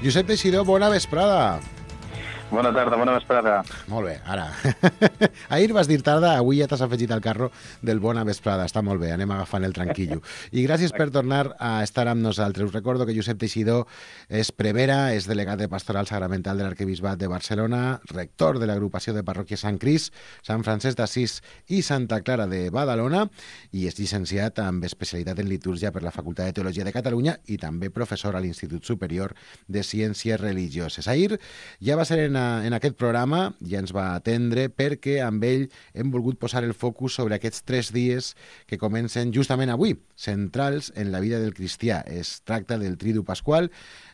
Josep Teixidor, bona vesprada. Bona tarda, bona vesprada. Molt bé, ara. Ahir vas dir tarda, avui ja t'has afegit al carro del bona vesprada. Està molt bé, anem agafant el tranquillo. I gràcies per tornar a estar amb nosaltres. Us recordo que Josep Teixidor és prevera, és delegat de Pastoral Sagramental de l'Arquebisbat de Barcelona, rector de l'agrupació de parròquia Sant Crist, Sant Francesc d'Assís i Santa Clara de Badalona, i és llicenciat amb especialitat en litúrgia per la Facultat de Teologia de Catalunya i també professor a l'Institut Superior de Ciències Religioses. Ahir ja va ser en aquest programa, ja ens va atendre, perquè amb ell hem volgut posar el focus sobre aquests 3 dies que comencen justament avui, centrals en la vida del cristià. Es tracta del Tridu Pasqual,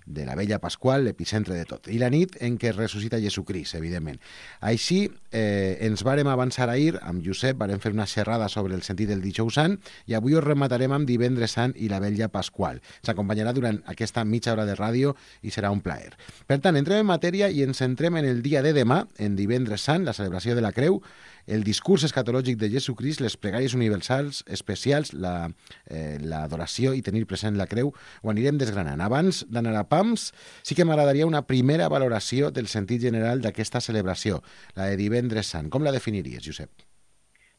de la Vella Pasqual, l'epicentre de tot, i la nit en què ressuscita Jesucrist, evidentment. Així, ens vàrem avançar ahir, amb Josep, vàrem fer una xerrada sobre el sentit del Dijous Sant, i avui us rematarem amb Divendres Sant i la Vella Pasqual. S'acompanyarà durant aquesta mitja hora de ràdio i serà un plaer. Per tant, entrem en matèria i ens centrem en el dia de demà, en Divendres Sant, la celebració de la Creu, el discurs escatològic de Jesucrist, les pregàries universals especials, l'adoració i tenir present la creu, ho anirem desgranant. Abans d'anar a pams, sí que m'agradaria una primera valoració del sentit general d'aquesta celebració, la de Divendres Sant. Com la definiries, Josep?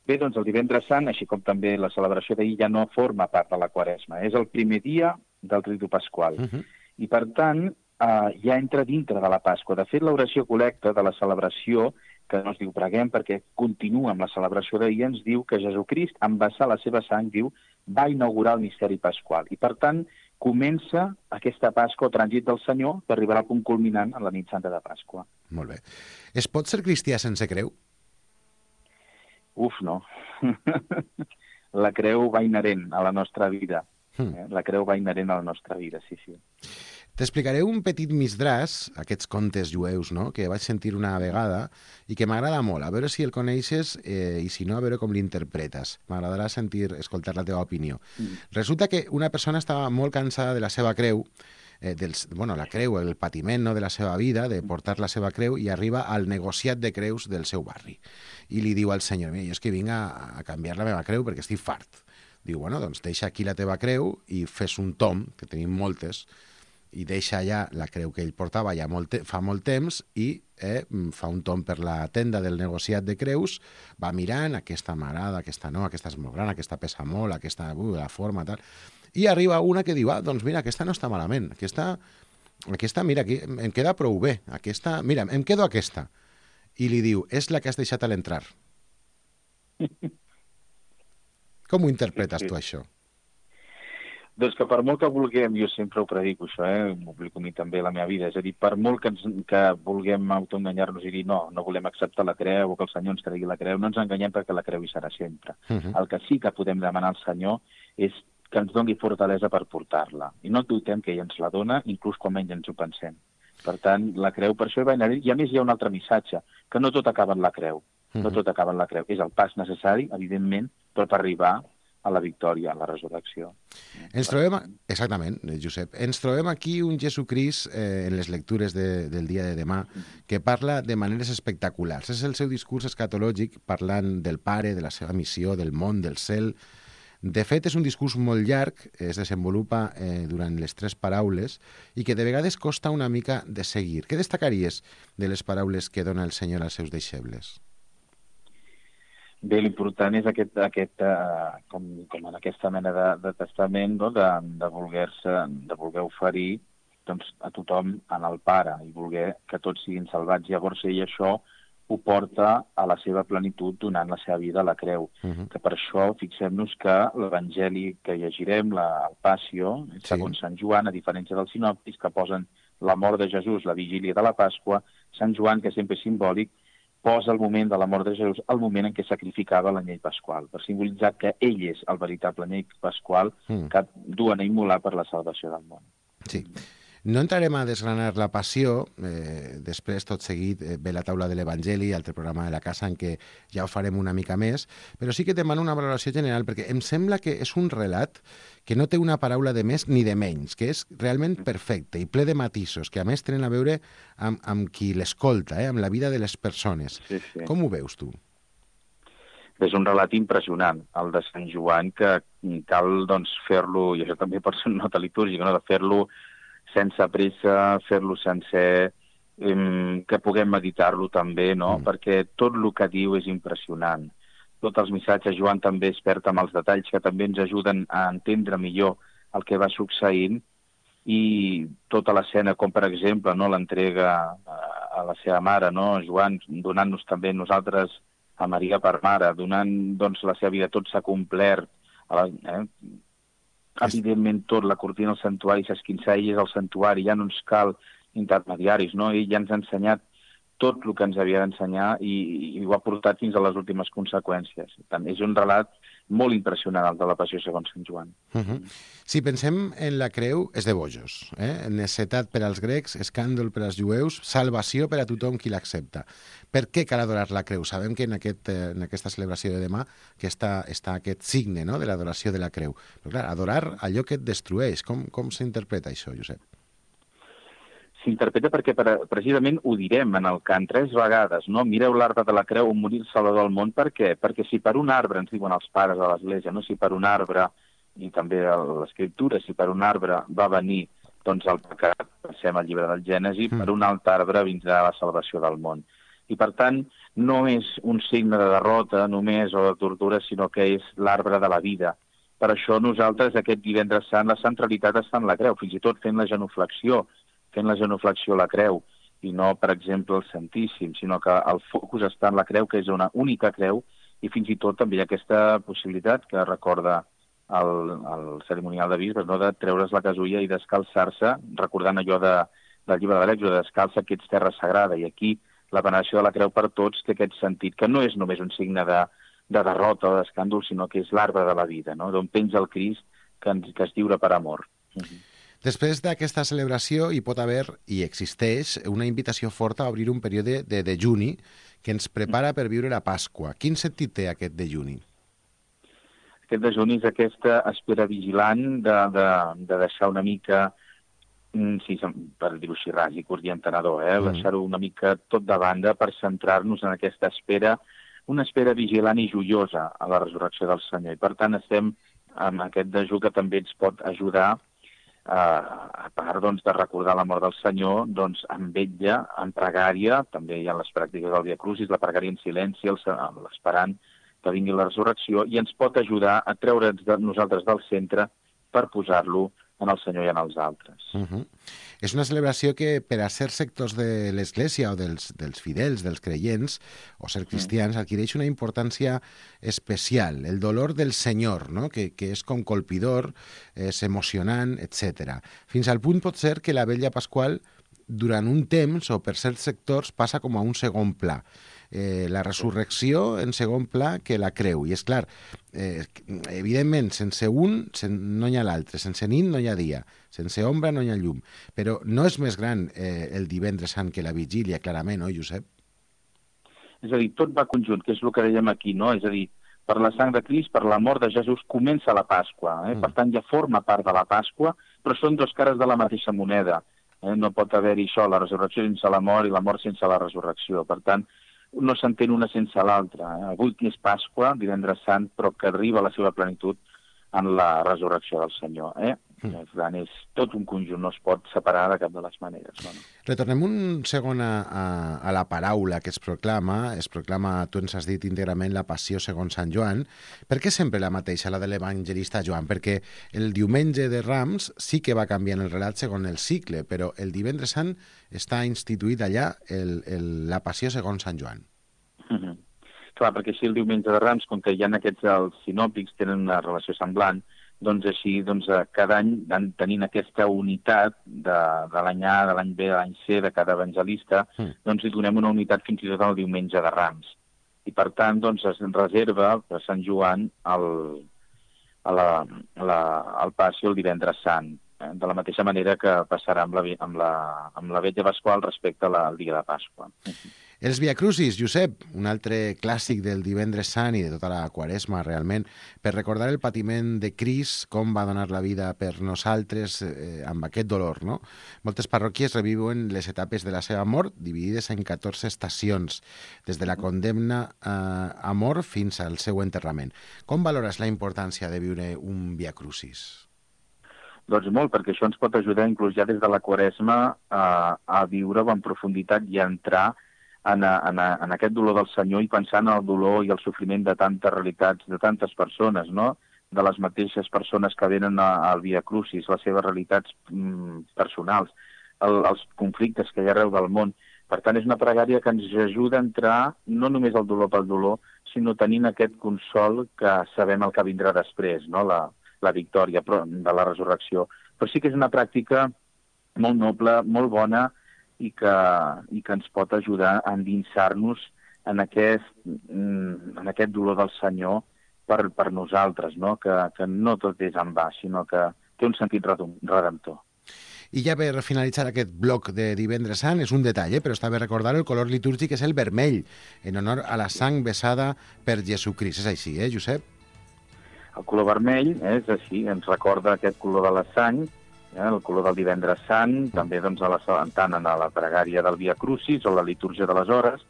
Bé, doncs el Divendres Sant, així com també la celebració d'ahir, ja no forma part de la Quaresma. És el primer dia del Tridu Pasqual. I, per tant, ja entra dintre de la Pasqua. De fet, l'oració col·lecta de la celebració, que no es diu preguem perquè continua amb la celebració d'ahir, ens diu que Jesucrist, en vessar la seva sang, diu, va inaugurar el misteri pasqual. I, per tant, comença aquesta Pasqua o trànsit del Senyor per arribar al punt culminant en la nit santa de Pasqua. Molt bé. Es pot ser cristià sense creu? Uf, no. La creu va inherent a la nostra vida. La creu va inherent a la nostra vida, sí, sí. T'explicaré un petit misdraç, aquests contes jueus, no?, que vaig sentir una vegada i que m'agrada molt. A veure si el coneixes i si no, a veure com l'interpretes. M'agradarà escoltar la teva opinió. Resulta que una persona estava molt cansada de la seva creu, la creu, el patiment, no?, de la seva vida, de portar la seva creu, i arriba al negociat de creus del seu barri. I li diu al senyor, mira, jo és que vinc a canviar la meva creu perquè estic fart. Diu, bueno, doncs deixa aquí la teva creu i fes un tom, que tenim moltes, i deixa allà la creu que ell portava ja fa molt temps i fa un tomb per la tenda del negociat de creus, va mirant, aquesta m'agrada, aquesta no, aquesta és molt gran, aquesta pesa molt, aquesta, la forma, tal, i arriba una que diu, doncs mira, aquesta no està malament, aquesta mira, aquí em queda prou bé, aquesta, mira, em quedo aquesta. I li diu, és la que has deixat a l'entrar. Com ho interpretes tu, això? Doncs que per molt que vulguem, jo sempre ho predico això, m'ho aplico a mi també a la meva vida, és a dir, per molt que vulguem autoenganyar-nos i dir no volem acceptar la creu o que el Senyor ens tregui la creu, no ens enganyem perquè la creu hi serà sempre. El que sí que podem demanar al Senyor és que ens doni fortalesa per portar-la. I no dubtem que ell ens la dona, inclús quan menys ens ho pensem. Per tant, la creu per això hi va anar. I a més hi ha un altre missatge, que no tot acaba en la creu. No tot acaba en la creu. És el pas necessari, evidentment, però per arribar a la victòria, a la resurrecció. Exactament, Josep. Ens trobem aquí un Jesucrist en les lectures del dia de demà que parla de maneres espectaculars. És el seu discurs escatològic parlant del Pare, de la seva missió, del món, del cel. De fet, és un discurs molt llarg, es desenvolupa durant les 3 paraules i que de vegades costa una mica de seguir. Què destacaries de les paraules que dona el Senyor als seus deixebles? Bé, l'important és com en aquesta mena de testament, no? de voler oferir doncs, a tothom en el Pare i voler que tots siguin salvats. Llavors ell això ho porta a la seva plenitud donant la seva vida a la creu. Que per això fixem-nos que l'Evangeli que llegirem, el Passio, segons Sant Joan, a diferència dels sinòptics que posen la mort de Jesús, la vigília de la Pasqua, Sant Joan, que sempre és simbòlic, posa el moment de la mort de Jesús el moment en què sacrificava l'anyell pasqual, per simbolitzar que ell és el veritable anyell pasqual que duen a immolar per la salvació del món. Sí. No entrarem a desgranar la passió, després tot seguit ve la taula de l'Evangeli, altre programa de la casa en què ja ho farem una mica més, però sí que demano una valoració general, perquè em sembla que és un relat que no té una paraula de més ni de menys, que és realment perfecte i ple de matisos, que a més tenen a veure amb qui l'escolta, amb la vida de les persones. Sí, sí. Com ho veus tu? És un relat impressionant, el de Sant Joan, que cal doncs, fer-lo, i això també pot ser una nota litúrgica, no? De fer-lo sense pressa, fer-lo sencer, que puguem meditar-lo també, no? Perquè tot el que diu és impressionant. Tots els missatges, Joan també expert amb els detalls que també ens ajuden a entendre millor el que va succeint, i tota l'escena, com per exemple, no, l'entrega a la seva mare, no, Joan, donant-nos també nosaltres a Maria per mare, donant doncs, la seva vida, tot s'ha complert. Evidentment tot, la cortina al santuari s'esquinçar, ell és el santuari, ja no ens cal intermediaris, no? Ell ja ens ha ensenyat tot el que ens havia d'ensenyar i ho ha portat fins a les últimes conseqüències. Per tant, és un relat molt impressionant, el de la Passió segons Sant Joan. Si pensem en la creu, és de bojos. Necessitat per als grecs, escàndol per als jueus, salvació per a tothom qui l'accepta. Per què cal adorar la creu? Sabem que en aquesta celebració de demà que està aquest signe, no?, de l'adoració de la creu. Però clar, adorar allò que et destrueix. Com s'interpreta això, Josep? S'interpreta perquè precisament ho direm en el cant 3 vegades, no? Mireu l'arbre de la creu on morir el Salvador del món. Per què? Perquè si per un arbre, ens diuen els pares de l'Església, no? Si per un arbre, i també a l'Escriptura, si per un arbre va venir doncs, el pecat, passem al llibre del Gènesi, per un altre arbre vindrà la salvació del món. I per tant, no és un signe de derrota només o de tortura, sinó que és l'arbre de la vida. Per això nosaltres aquest divendres sant, la centralitat està en la creu, fins i tot fent la genuflexió a la creu, i no, per exemple, el Santíssim, sinó que el focus està en la creu, que és una única creu, i fins i tot també hi ha aquesta possibilitat que recorda el cerimonial de bisbes, no?, de treure's la casulla i descalçar-se, recordant allò del llibre de l'Èxode, descalça que ets terra sagrada, i aquí la veneració de la creu per tots té aquest sentit, que no és només un signe de derrota o d'escàndol, sinó que és l'arbre de la vida, no?, d'on penja el Crist que es lliura per amor. Després d'aquesta celebració hi pot haver, i existeix, una invitació forta a obrir un període de dejuni que ens prepara per viure la Pasqua. Quin sentit té aquest dejuni? Aquest dejuni és aquesta espera vigilant de deixar una mica, sí, per dir-ho així, ras i curt i entenedor, deixar-ho una mica tot de banda per centrar-nos en aquesta espera, una espera vigilant i joiosa a la resurrecció del Senyor. I per tant estem amb aquest dejú que també ens pot ajudar a part doncs, de recordar la mort del Senyor, doncs, amb vetlla, en pregària, també hi ha les pràctiques del Via Crucis, la pregària en silenci, l'esperant que vingui la resurrecció, i ens pot ajudar a treure'ns de nosaltres del centre per posar-lo en el Senyor i en els altres. És una celebració que, per a certs sectors de l'Església o dels fidels, dels creients, o ser cristians, adquireix una importància especial. El dolor del Senyor, no?, que és com colpidor, és emocionant, etc. Fins al punt pot ser que la vetlla pasqual, durant un temps, o per certs sectors, passa com a un segon pla. La resurrecció en segon pla que la creu. I és clar, evidentment, sense un no hi ha l'altre, sense nit no hi ha dia, sense ombra no hi ha llum. Però no és més gran el divendres sant que la vigília, clarament, no, Josep? És a dir, tot va conjunt, que és el que dèiem aquí, no? És a dir, per la sang de Crist, per la mort de Jesús, comença la Pasqua. Per tant, ja forma part de la Pasqua, però són dos cares de la mateixa moneda. No pot haver-hi això, la resurrecció sense la mort i la mort sense la resurrecció. Per tant, no s'entén una sense l'altra. Avui que és Pasqua, divendres sant, però que arriba a la seva plenitud en la resurrecció del Senyor. Per tant, és tot un conjunt, no es pot separar de cap de les maneres. No? Retornem un segon a la paraula que es proclama, tu ens has dit íntegrament, la Passió segons Sant Joan. Per què sempre la mateixa, la de l'evangelista Joan? Perquè el diumenge de Rams sí que va canviant el relat segons el cicle, però el divendres sant està instituït allà la Passió segons Sant Joan. Clar, perquè així el diumenge de Rams, com que hi ha aquests els sinòptics, tenen una relació semblant, doncs així cada any van tenint aquesta unitat de l'any A, de l'any B, de l'any C, de cada evangelista, doncs hi donem una unitat fins i tot al diumenge de Rams. I per tant, doncs es reserva per Sant Joan el Passió el divendres sant, de la mateixa manera que passarà amb la vetlla pasqual respecte al dia de Pasqua. Els Via Crucis, Josep, un altre clàssic del divendres sant i de tota la Quaresma, realment, per recordar el patiment de Crist, com va donar la vida per nosaltres amb aquest dolor, no? Moltes parròquies reviuen les etapes de la seva mort, dividides en 14 estacions, des de la condemna a mort fins al seu enterrament. Com valores la importància de viure un Via Crucis? Doncs molt, perquè això ens pot ajudar inclús ja des de la Quaresma a viure-ho en profunditat i a entrar en aquest dolor del Senyor i pensar en el dolor i el sofriment de tantes realitats, de tantes persones, no? De les mateixes persones que venen al Via Crucis, les seves realitats personals, els conflictes que hi ha arreu del món. Per tant, és una pregària que ens ajuda a entrar no només al dolor pel dolor, sinó tenint aquest consol que sabem el que vindrà després, no? La victòria de la resurrecció. Però sí que és una pràctica molt noble, molt bona, i que ens pot ajudar a endinsar-nos en aquest dolor del Senyor per nosaltres, no? Que no tot és en va, sinó que té un sentit redemptor. I ja per finalitzar aquest bloc de Divendres Sant, és un detall, però està bé recordar el color litúrgic és el vermell, en honor a la sang vessada per Jesucrist. És així, Josep? El color vermell és així, ens recorda aquest color de la sang, el color del Divendres Sant, també doncs, tant en la pregària del Via Crucis o la litúrgia de les hores,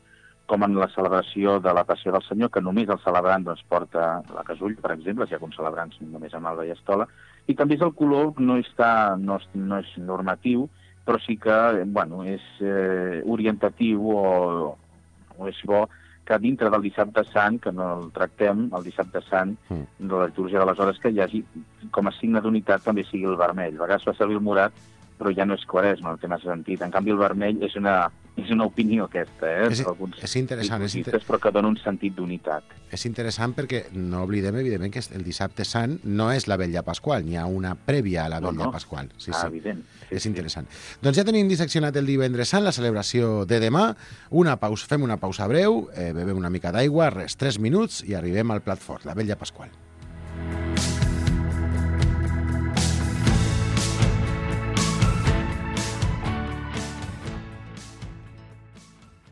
com en la celebració de la Passió del Senyor, que només el celebrant doncs, porta la casull, per exemple, si hi ha alguns celebrants només amb alba i estola, i també és el color, no és normatiu, però sí que és orientatiu o és bo que dintre del Dissabte Sant, que no el tractem, el Dissabte Sant, de la litúrgia de les hores, que hi hagi, com a signe d'unitat, també sigui el vermell. A vegades fa servir el morat, però ja no és Quaresma el tema sentit. En canvi, el vermell és una opinió aquesta, És interessant, però que dona un sentit d'unitat. És interessant perquè no oblidem, evidentment, que el Dissabte Sant no és la Vetlla Pasqual, n'hi ha una prèvia a la Vetlla Pasqual. Sí. Evident. És interessant. Doncs ja tenim disseccionat el Divendres Sant, la celebració de demà. Fem una pausa breu, bevem una mica d'aigua, 3 minuts i arribem al plat fort, la Vetlla Pasqual.